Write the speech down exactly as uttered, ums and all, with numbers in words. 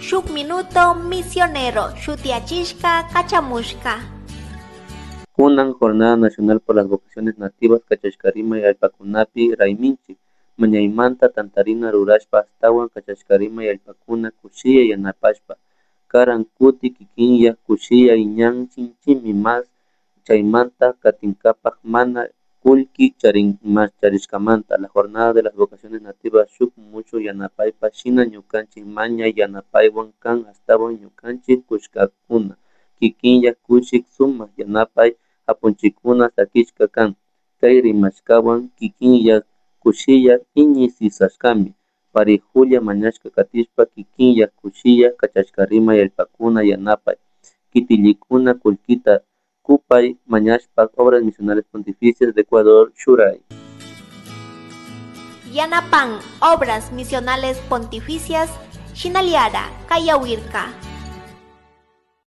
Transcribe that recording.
Shuk Minuto Misionero shutiyachishka kachamushka. Kunan Jornada Nacional por las Vocaciones Nativas kachashkarimay allpakunapi rayminchik mañaymanta tantarina rurashpa ashtawan kachashkarimay allpakuna kushilla yanapashpa karan kuti kikinyak kushilla ñan sinchimi mas chaymanta katinkapak mana kullki charishkamanta. La Jornada de las Vocaciones Nativas shuk mushuk yanapaypa shina ñukanchik mañay yanapaywan kan ashtawan ñukanchik kushkakuna kikinyak kushik sumak yanapay apunchikuna sakishka kan kay rimashkawan kikinyak kushilla iñi sisashkami parihulla mañashka katishpa kikinyak kushilla kachashkarimay allpakuna yanapay kitillikuna kullkita kupay mañashpa Obras Misionales Pontificias de Ecuador shuray. Yanapan Obras Misionales Pontificias Shinaliara Kayawirka.